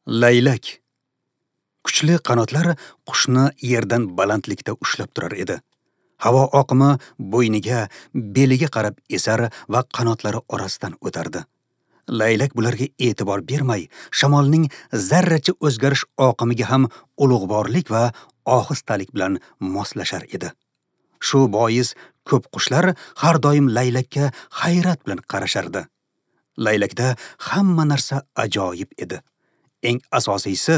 Laylak. Kuchli qanotlar qushni yerdan balandlikda ushlab turar edi. Havo oqimi bo'yniga, beliga qarab esar va qanotlari orasidan o'tardi. Laylak bularga e'tibor bermay, shamolning zarracha o'zgarish oqimiga ham ulug'vorlik va ohistalik bilan moslashar edi. Shu bois ko'p qushlar har doim laylakka hayrat bilan qarashardi. Laylakda hamma narsa ajoyib edi. Eng asosiysi,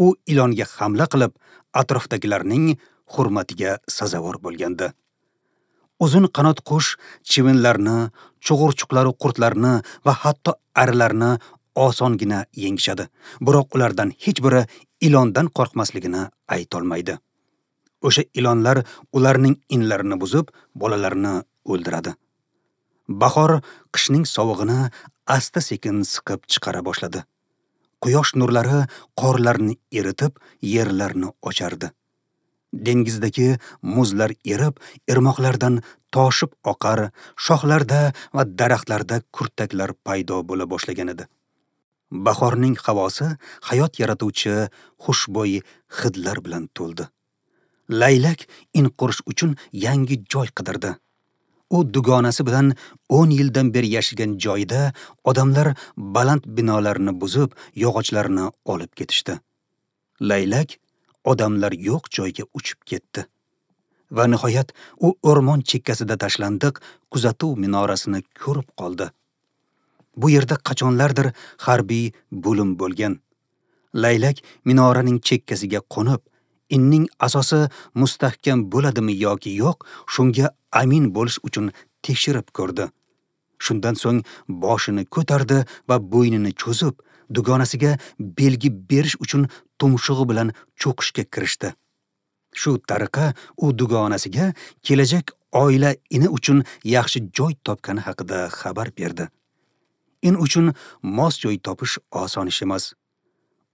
u ilonga hamla qilib, atrofdagilarning hurmatiga sazovor bo'lgandi. Uzun qanot qush chivinlarni, chug'urchuqlaru qurtlarni va hatto arilarni osongina yengishadi. Biroq ulardan hech biri ilondan qo'rqmasligini aytolmaydi. O'sha ilonlar ularning inlarini buzib, bolalarini o'ldiradi. Bahor qishning sovug'ini asta-sekin siqib chiqara boshladi. Quyosh nurlari qorlarni eritib, yerlarni ochardi. Dengizdagi muzlar erib, irmoqlardan toshib oqar, shoxlarda va daraxtlarda kurtaklar paydo bo'la boshlagan edi. Bahorning havosi hayot yaratuvchi xushbo'y hidlar bilan to'ldi. Laylak in qurish uchun yangi joy qidirdi. U dugonasi bilan 10 yildan beri yashagan joyida odamlar baland binolarni buzib, yog'ochlarni olib ketishdi. Laylak odamlar yo'q joyga uchib ketdi. Va nihoyat u o'rmon chekkasida tashlandiq kuzatuv minorasini ko'rib qoldi. Bu yerda qachonlardir harbiy bo'lim bo'lgan. Laylak minoraning chekkasiga qo'nib, inning asosi mustahkam bo'ladimi yoki yo'q, shunga amin bo'lish uchun tekshirib ko'rdi. Shundan so'ng boshini ko'tardi va bo'ynini cho'zib, dugonasiga belgi berish uchun tumshug'i bilan cho'qishga kirishdi. Shu tariqa u dugonasiga kelajak oila ini uchun yaxshi joy topgani haqida xabar berdi. In uchun mos joy topish oson ish emas.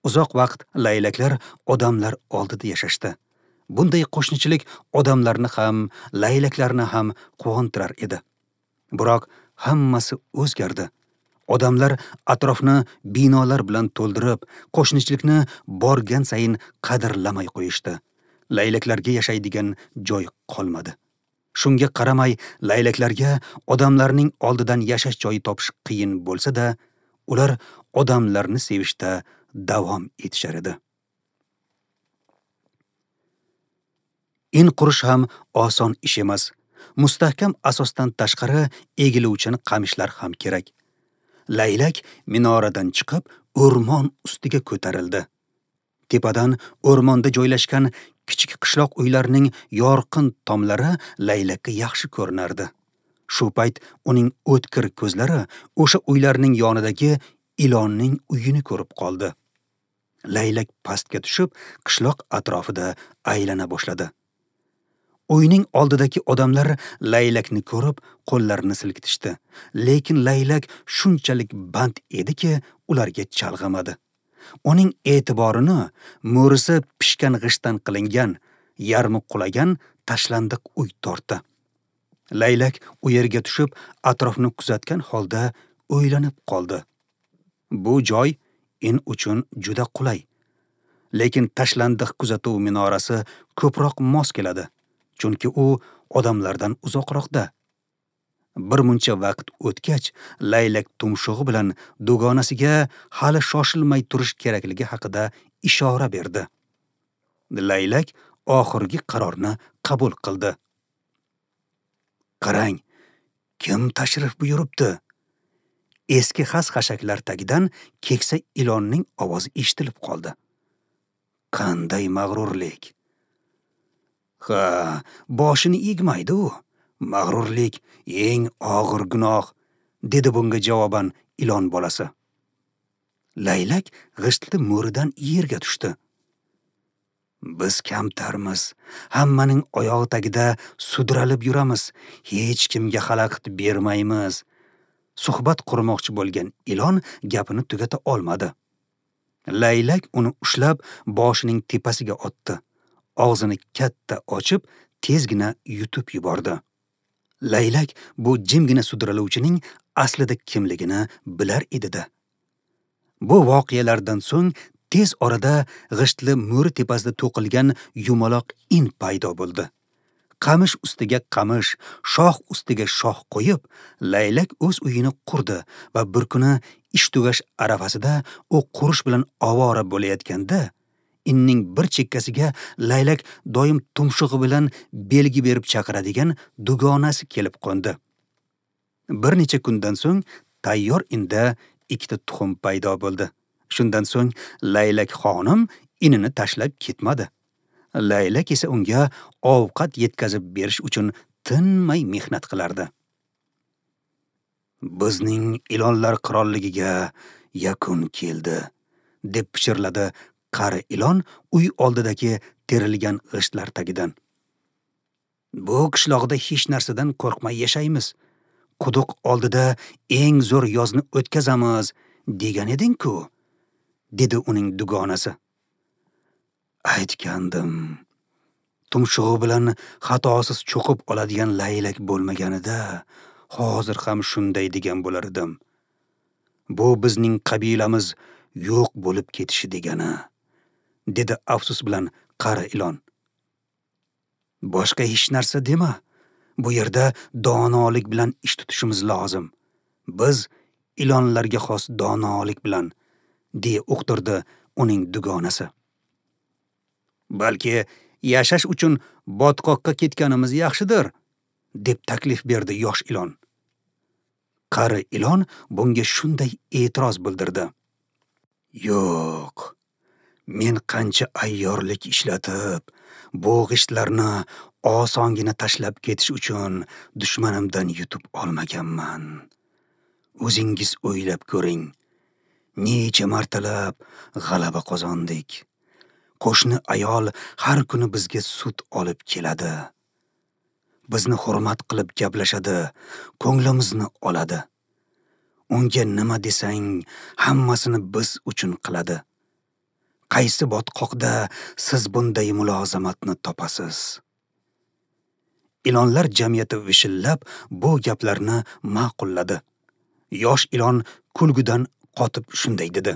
Uzoq vaqt laylaklar odamlar oldida yashashdi. Bunday qo'shnichilik odamlarni ham, laylaklarni ham quvontirar edi. Biroq hammasi o'zgardi. Odamlar atrofni binolar bilan to'ldirib, qo'shnichilikni borgan sayin qadrlamay qo'yishdi. Laylaklarga yashaydigan joy qolmadi. Shunga qaramay, laylaklarga odamlarning oldidan yashash joyi topish qiyin bo'lsa-da, ular odamlarni sevishda davom etishar edi. In qurish ham oson ish emas. Mustahkam asosdan tashqari egiluvchan qamishlar ham kerak. Laylak minoradan chiqib, o'rmon ustiga ko'tarildi. Tepadan o'rmonda joylashgan kichik qishloq uylarining yorqin tomlari laylakka yaxshi ko'rinardi. Shu payt uning o'tkir ko'zlari o'sha uylarning yonidagi ilonning uyini ko'rib qoldi. Laylak pastga tushib, qishloq atrofida aylana boshladi. Uyning oldidagi odamlar laylakni ko'rib, qo'llarini silkitishdi. Lekin laylak shunchalik band ediki, ularga chalg'imadi. Uning e'tiborini mo'risi pishgan g'ishtdan qilingan, yarmi qulagan tashlandiq uy tortdi. Laylak u yerga tushib, atrofni kuzatgan holda o'ylanib qoldi. Bu joy in uchun juda qulay. Lekin tashlandiq kuzatuv minorasi ko'proq mos keladi, chunki u odamlardan uzoqroqda. Bir muncha vaqt o'tgach, laylak tumshug'i bilan dugonasiga hali shoshilmay turish kerakligi haqida ishora berdi. Laylak oxirgi qarorni qabul qildi. Qarang, kim tashrif buyuribdi? Eski xas-xashaklar tagidan keksa ilonning ovozi eshitilib qoldi. Qanday mag'rurlik! Ha, boshini egmaydi u. Mag'rurlik eng og'ir gunoh, dedi bunga javoban ilon bolasi. Laylak g'ishtli mo'ridan yerga tushdi. Biz kamtarmiz, hammaning oyog'i tagida sudralib yuramiz, hech kimga xalaqit bermaymiz. Suhbat qurmoqchi bo'lgan ilon gapini tugata olmadi. Laylak uni ushlab boshining tepasiga otdi. Og'zini katta ochib, tezgina yutib yubordi. Laylak bu jimgina sudraluvchining aslida kimligini bilar edi-da. Bu voqealardan so'ng Tez orada g'ishtli mo'ri tepasida to'qilgan yumaloq in paydo bo'ldi. Qamish ustiga qamish, shox ustiga shox qo'yib, laylak o'z uyini qurdi va bir kuni ish tugash arafasida u qurish bilan ovora bo'layotganda, inning bir chekkasiga laylak doim tumshug'i bilan belgi berib chaqiradigan dugonasi kelib qo'ndi. Bir necha kundan so'ng tayyor inda ikkita tuxum paydo bo'ldi. Shundan so'ng laylak xonim inini tashlab ketmadi. Laylak esa unga ovqat yetkazib berish uchun tinmay mehnat qilardi. Bizning ilonlar qirolligiga yakun keldi, deb pichirladi qari ilon uy oldidagi terilgan g'ishtlar tagidan. Bu qishloqda hech narsadan qo'rqmay yashaymiz. Quduq oldida eng zo'r yozni o'tkazamiz degan eding-ku, dedi uning dugonasi. Aytgandim. Tumshug'i bilan xatosiz cho'qib oladigan laylak bo'lmaganida hozir ham shunday degan bo'lar edim. Bu bizning qabilamiz yo'q bo'lib ketishi degani, dedi afsus bilan qari ilon. Boshqa hech narsa dema. Bu yerda donolik bilan ish tutishimiz lozim. Biz ilonlarga xos donolik bilan, deya uqtirdi uning dugonasi. Balki yashash uchun botqoqqa ketganimiz yaxshidir, deb taklif berdi yosh ilon. Qari ilon bunga shunday e'tiroz bildirdi. Yo'q, men qancha ayyorlik ishlatib, bu g'ishtlarni osongina tashlab ketish uchun dushmanimdan yutib olmaganman. O'zingiz o'ylab ko'ring. Necha martalab g'alaba qozondik. Qo'shni ayol har kuni bizga sut olib keladi. Bizni hurmat qilib gaplashadi, ko'nglimizni oladi. Unga nima desang, hammasini biz uchun qiladi. Qaysi botqoqda siz bunday mulozamatni topasiz? Ilonlar jamiyati vishillab bu gaplarni ma'qulladi. Yosh ilon kulgudan qotib shunday dedi.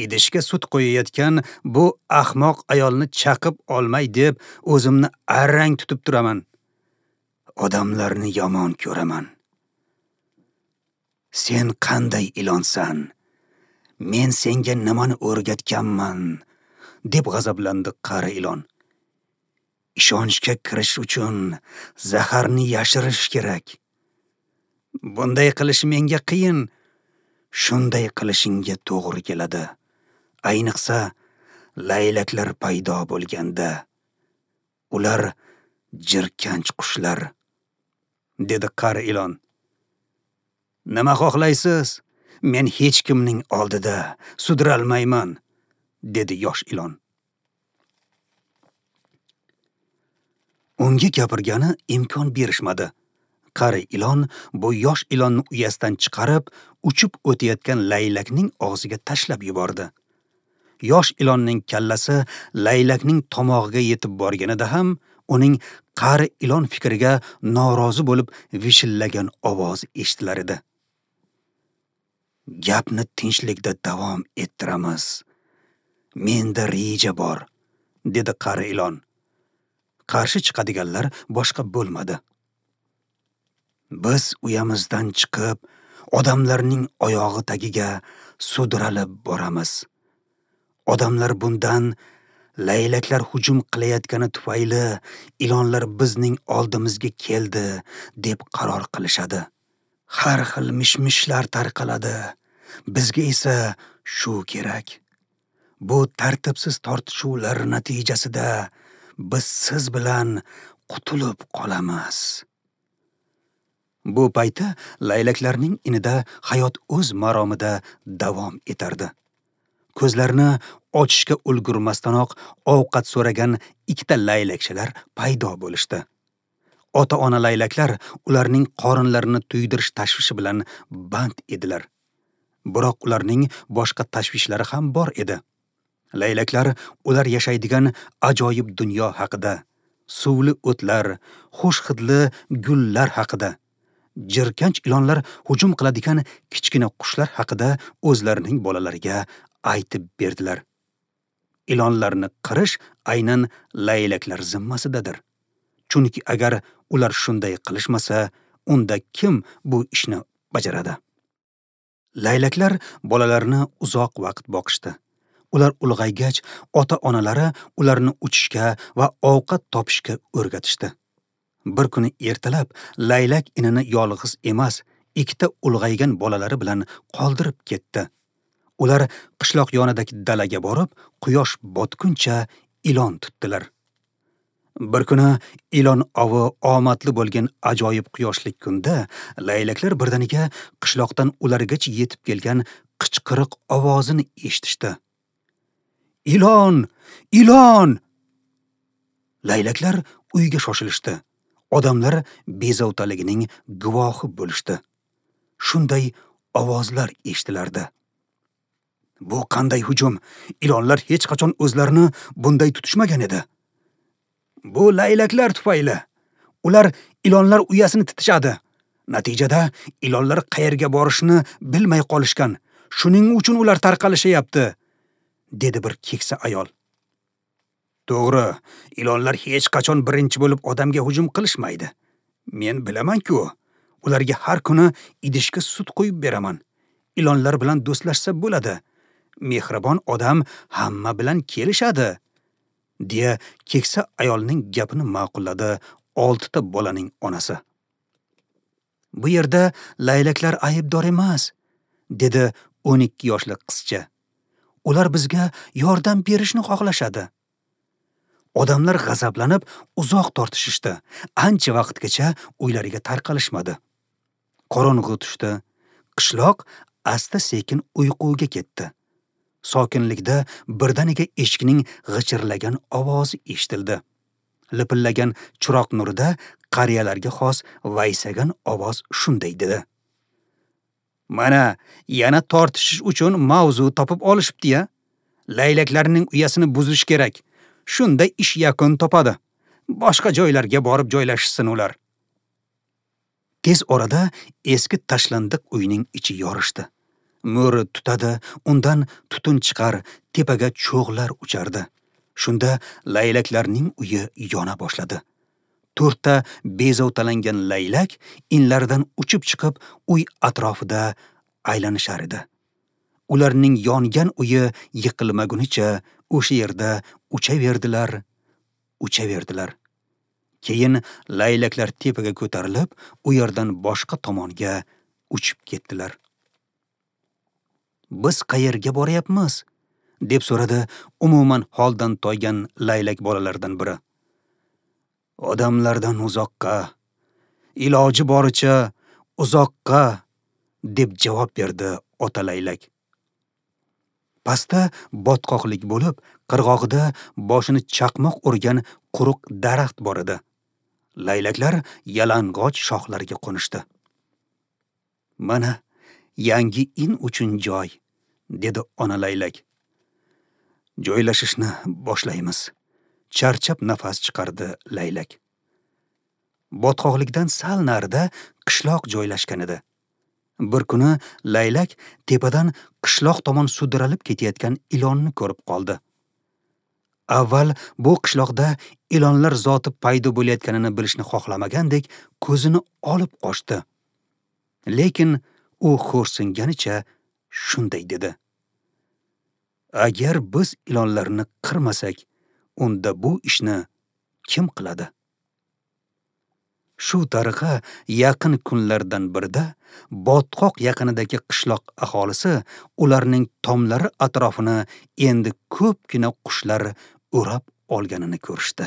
Idishga sut qo'yayotgan bu ahmoq ayolni chaqib olmay deb o'zimni arang tutib turaman. Odamlarni yomon ko'raman. Sen qanday ilonsan? Men senga nimani o'rgatganman? Deb g'azablandi qari ilon. Ishonchga kirish uchun zaharni yashirish kerak. Bunday qilish menga qiyin. Shunday qilishingga to'g'ri keladi. Ayniqsa laylaklar paydo bo'lganda. Ular jirkanch qushlar, dedi qari ilon. Nima xohlaysiz? Men hech kimning oldida sudralmayman, dedi yosh ilon. Unga gapirgani imkon berishmadi. Qari ilon bu yosh ilonni uyasidan chiqarib, uchib o'tayotgan laylakning og'ziga tashlab yubordi. Yosh ilonning kallasi laylakning tomog'iga yetib borganida ham uning qari ilon fikriga norozi bo'lib vishillagan ovozi eshitilar edi. Gapni tinchlikda davom ettiramiz. Menda reja bor, dedi qari ilon. Qarshi chiqadiganlar boshqa bo'lmadi. Biz uyamizdan chiqib, odamlarning oyog'i tagiga sudralib boramiz. Odamlar bundan laylaklar hujum qilayotgani tufayli ilonlar bizning oldimizga keldi deb qaror qilishadi. Har xil mishmishlar tarqaladi. Bizga esa shu kerak. Bu tartibsiz tortishuvlar natijasida biz siz bilan qutulib qolamiz. Bu paytda laylaklarning inida hayot o'z maromida davom etardi. Ko'zlarini ochishga ulgurmasdanoq ovqat so'ragan ikkita laylakchalar paydo bo'lishdi. Ota-ona laylaklar ularning qorinlarini to'ydirish tashvishi bilan band edilar. Biroq ularning boshqa tashvishlari ham bor edi. Laylaklar ular yashaydigan ajoyib dunyo haqida, suvli o'tlar, xush hidli gullar haqida, jirkanch ilonlar hujum qiladigan kichkina qushlar haqida o'zlarining bolalariga aytib berdilar. Ilonlarni qirish aynan laylaklar zimmasidadir. Chunki agar ular shunday qilishmasa, unda kim bu ishni bajaradi? Laylaklar bolalarni uzoq vaqt boqishdi. Ular ulg'aygach, ota-onalari ularni uchishga va ovqat topishga o'rgatishdi. Bir kuni ertalab laylak inini yolg'iz emas, ikkita ulg'aygan bolalari bilan qoldirib ketdi. Ular qishloq yonidagi dalaga borib, quyosh botguncha ilon tutdilar. Bir kuni ilon ovi omadli bo'lgan ajoyib quyoshli kunda laylaklar birdaniga qishloqdan ulargacha yetib kelgan qichqiriq ovozini eshitishdi. Ilon! Ilon! Laylaklar uyga shoshilishdi. Odamlar bezovtaligining guvohi bo'lishdi. Shunday ovozlar eshitilardi. Bu qanday hujum? Ilonlar hech qachon o'zlarini bunday tutishmagan edi. Bu laylaklar tufayli. Ular ilonlar uyasini titishadi. Natijada ilonlar qayerga borishini bilmay qolishgan. Shuning uchun ular tarqalishyapti, dedi bir keksa ayol. To'g'ri, ilonlar hech qachon birinchi bo'lib odamga hujum qilishmaydi. Men bilaman-ku, ularga har kuni idishga sut quyib beraman. Ilonlar bilan do'stlashsa bo'ladi. Mehribon odam hamma bilan kelishadi, deya keksa ayolning gapini ma'qulladi 6 ta bolaning onasi. Bu yerda laylaklar aybdor emas, dedi 12 yoshli qizcha. Ular bizga yordam berishni xohlashadi. Odamlar g'azablanib uzoq tortishishdi. Ancha vaqtgacha uylariga tarqalishmadi. Qorong'u tushdi. Qishloq asta-sekin uyquga ketdi. Sokinlikda birdaniga eshikning g'ichirlagan ovozi eshitildi. Lipillagan chiroq nurida qariyalarga xos vaysagan ovoz shunday dedi: Mana, yana tortishish uchun mavzu topib olishibdi-ya. Laylaklarning uyasini buzish kerak. Shunda ish yakun topadi. Boshqa joylarga borib joylashsin ular. Tez orada eski tashlandiq uyning ichi yorishdi. Mo'ri tutadi, undan tutun chiqar, tepaga cho'g'lar uchardi. Shunda laylaklarning uyi yona boshladi. 4 ta bezovtalangan laylak inlaridan uchib chiqib, uy atrofida aylanishar edi. Ularning yongan uyi yiqilmagunicha o'sha yerda uchaverdilar, uchaverdilar. Keyin laylaklar tepaga ko'tarilib, u yerdan boshqa tomonga uchib ketdilar. Biz qayerga boryapmiz? Deb so'radi umuman holdan toygan laylak bolalardan biri. Odamlardan uzoqqa, iloji boricha uzoqqa, deb javob berdi ota laylak. Pastda botqoqlik bo'lib, qirg'og'ida boshini chaqmoq urgan quruq daraxt bor edi. Laylaklar yalang'och shoxlarga qo'nishdi. Mana yangi in uchun joy, dedi ona laylak. Joylashishni boshlaymiz. Charchab nafas chiqardi laylak. Botqoqlikdan sal narida qishloq joylashgan edi. Bir kuni laylak tepadan qishloq tomon sudralib ketayotgan ilonni ko'rib qoldi. Avval bu qishloqda ilonlar zoti paydo bo'layotganini bilishni xohlamagandek ko'zini olib qochdi. Lekin u xo'rsinganicha shunday dedi: Agar biz ilonlarni qirmasak, unda bu ishni kim qiladi? Shu tariqa yaqin kunlardan birida botqoq yaqinidagi qishloq aholisi ularning tomlari atrofini endi ko'pgina qushlar o'rab olganini ko'rishdi.